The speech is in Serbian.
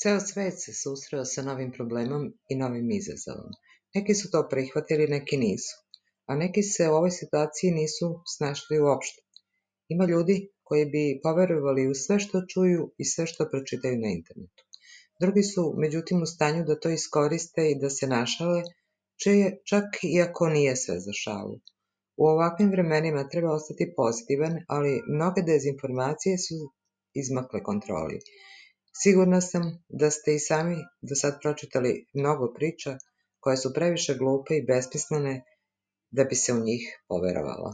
Ceo svet se susreo sa novim problemom i novim izazovom. Neki su to prihvatili, neki nisu, a neki se u ovoj situaciji nisu snašli uopšte. Ima ljudi koji bi poverovali u sve što čuju i sve što pročitaju na internetu. Drugi su, međutim, u stanju da to iskoriste i da se našale, čak i ako nije sve za šalu. U ovakvim vremenima treba ostati pozitivan, ali mnoge dezinformacije su izmakle kontroli. Sigurna sam da ste i sami do sad pročitali mnogo priča koje su previše glupe i besmislene da bi se u njih poverovalo.